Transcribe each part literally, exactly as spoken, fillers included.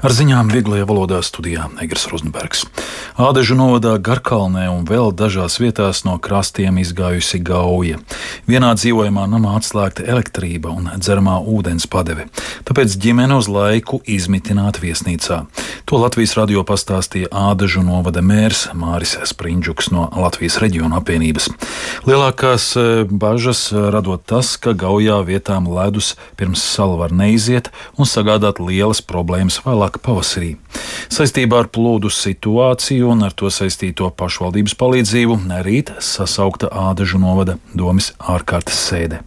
Ar ziņām vieglajā valodā studijā Egers Rozenbergs. Ādežu novadā Garkalnē un vēl dažās vietās no krastiem izgājusi gauja. Vienā dzīvojamā namā atslēgta elektrība un dzeramā ūdens padeve, tāpēc ģimene uz laiku izmitināta viesnīcā. To Latvijas radio pastāstīja Ādežu novada mērs Māris Sprindžuks no Latvijas reģiona apvienības. Lielākās bažas radot tas, ka gaujā vietām ledus pirms sala var neiziet un sagādāt lielas problēmas vēlāk pavasarī. Saistībā ar plūdu situāciju un ar to saistīto pašvaldības palīdzību rīt sasaukta Ādežu novada domes ārkārtas sēde.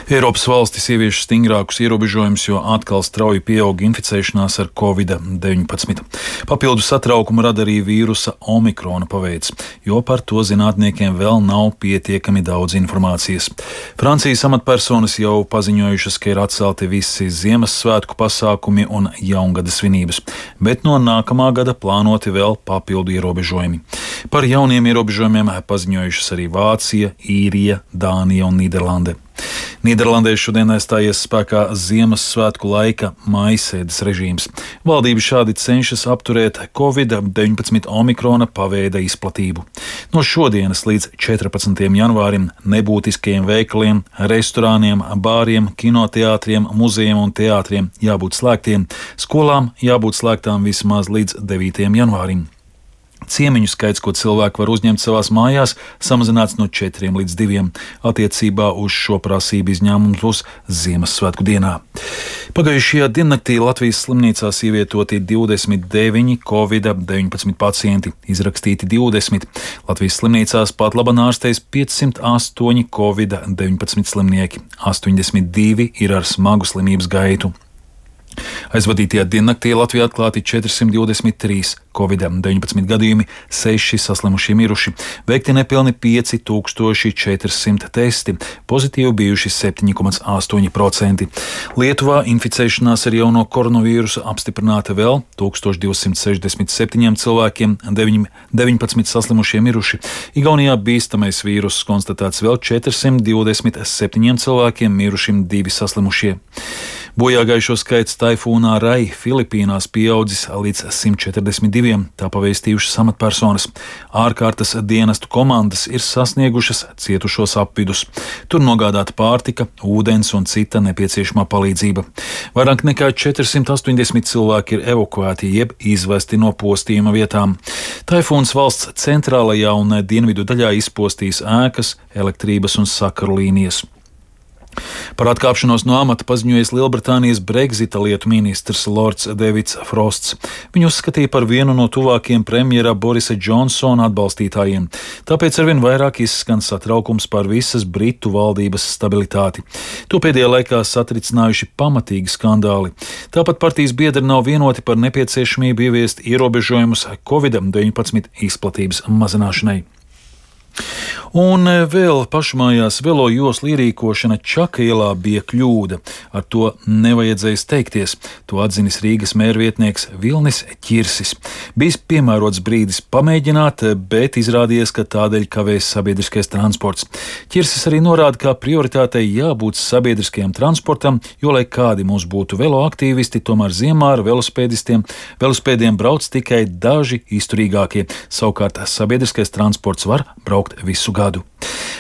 Eiropas valstis ievieš stingrākus ierobežojumus, jo atkal strauji pieaug inficēšanās ar covid deviņpadsmit. Papildu satraukumu rada arī vīrusa omikrona paveids, jo par to zinātniekiem vēl nav pietiekami daudz informācijas. Francijas amatpersonas jau paziņojušas, ka ir atcelti visi Ziemassvētku pasākumi un jaungada svinības, bet no nākamā gada plānoti vēl papildu ierobežojumi. Par jauniem ierobežojumiem paziņojušas arī Vācija, Īrija, Dānija un Nīderlande. Nīderlandē šodien stājies spēkā Ziemassvētku laika mājasēdes režīms. Valdība šādi cenšas apturēt covid deviņpadsmit omikrona paveida izplatību. No šodienas līdz četrpadsmitajam janvārim nebūtiskajiem veikaliem, restorāniem, bāriem, kinoteātriem, muzejiem un teātriem jābūt slēgtiem, skolām jābūt slēgtām vismaz līdz devītajam janvārim. Ciemiņu skaits, ko cilvēki var uzņemt savās mājās, samazināts no četriem līdz diviem. Attiecībā uz šo prasību izņēmums būs Ziemassvētku dienā. Pagājušajā diennaktī Latvijas slimnīcās ievietoti divdesmit deviņi covid deviņpadsmit pacienti, izrakstīti divdesmit. Latvijas slimnīcās pat labāk ārstējas piecsimt astoņi covid deviņpadsmit slimnieki, astoņdesmit divi ir ar smagu slimības gaitu. Aizvadītajā diennaktī Latvijā atklāti četrsimt divdesmit trīs covid deviņpadsmit gadījumi, seši saslimušie miruši, veikti nepilni pieci tūkstoši četri simti testi, pozitīvi bijuši septiņi komats astoņi procenti. Lietuvā inficēšanās ar jauno koronavīrusu apstiprināta vēl tūkstoš divsimt sešdesmit septiņiem cilvēkiem, deviņpadsmit saslimušie miruši. Igaunijā bīstamais vīruss konstatēts vēl četrsimt divdesmit septiņiem cilvēkiem, mirušiem divi saslimušie. Bojāgājušo skaits taifūnā Rai Filipīnās pieaudzis līdz simt četrdesmit diviem, tā pavēstījušas amatpersonas. Ārkārtas dienestu komandas ir sasniegušas cietušos apvidus. Tur nogādāta pārtika, ūdens un cita nepieciešamā palīdzība. Vairāk nekā četrsimt astoņdesmit cilvēki ir evakuēti jeb izvesti no postījuma vietām. Taifūns valsts centrālajā un dienvidu daļā izpostīs ēkas, elektrības un sakaru līnijas. Par atkāpšanos no amata paziņojies Lielbritānijas Brexita lietu ministrs Lords Davids Frosts. Viņu uzskatīja par vienu no tuvākajiem premjera Borisa Džonsona atbalstītājiem. Tāpēc arvien vairāk izskan satraukums par visas Britu valdības stabilitāti. To pēdējā laikā satricinājuši pamatīgi skandāli. Tāpat partijas biedri nav vienoti par nepieciešamību ieviest ierobežojumus covid deviņpadsmit izplatības mazināšanai. Un vēl pašmājās velo joslu ierīkošana Čaka ielā bija kļūda. Ar to nevajadzēja steigties. To atzinis Rīgas mērvietnieks Vilnis Ķirsis. Bijis piemērots brīdis pamēģināt, bet izrādījies, ka tādēļ kavēs sabiedriskais transports. Ķirsis arī norāda, ka prioritātei jābūt sabiedriskajam transportam, jo, lai kādi mums būtu velo aktīvisti, tomēr ziemā ar velospēdistiem, velospēdiem brauc tikai daži izturīgākie. Savukārt sabiedriskais transports var braukt visu gadu.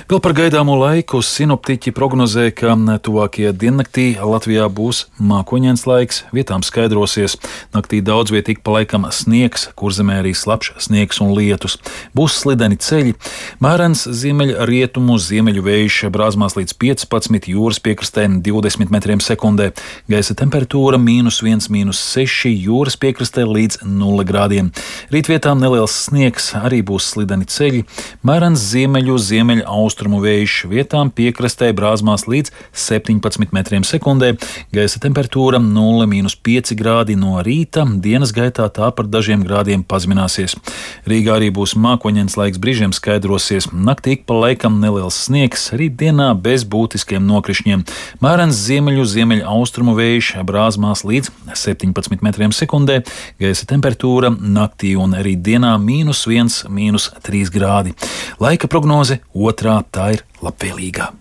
Vēl par gaidāmo laiku sinoptiķi prognozē, ka tuvākajā diennaktī Latvijā būs mākoņains laiks, vietām skaidrosies. Naktī daudz viet ik pa laikam sniegs, kurzemē arī slapjš sniegs un lietus. Būs slideni ceļi, mērens ziemeļrietumu ziemeļu vējš brāzmās līdz piecpadsmit, jūras piekrastē divdesmit metriem sekundē. Gaisa temperatūra mīnus viens, mīnus seši, jūras piekrastē līdz nulle grādiem. Rīt vietām neliels sniegs, arī būs slideni ceļi, mērens ziemeļu ziemeļu austrumu vējš, vietām piekrastē brāzmās līdz septiņpadsmit metriem sekundē, gaisa temperatūra nulle mīnus pieci grādi no rīta, dienas gaitā tā par dažiem grādiem pazemināsies. Rīgā arī būs mākoņains laiks, brīžiem skaidrosies, naktī ik pa laikam neliels sniegs, rīt dienā bez būtiskiem nokrišņiem. Mērens ziemeļu ziemeļu austrumu vējš, brāzmās līdz septiņpadsmit metriem sekundē, gaisa temperatūra naktī un rīt dienā mīnus viens, mīnus trīs grādi. Laika prognoze otrā, tā ir labvēlīgā.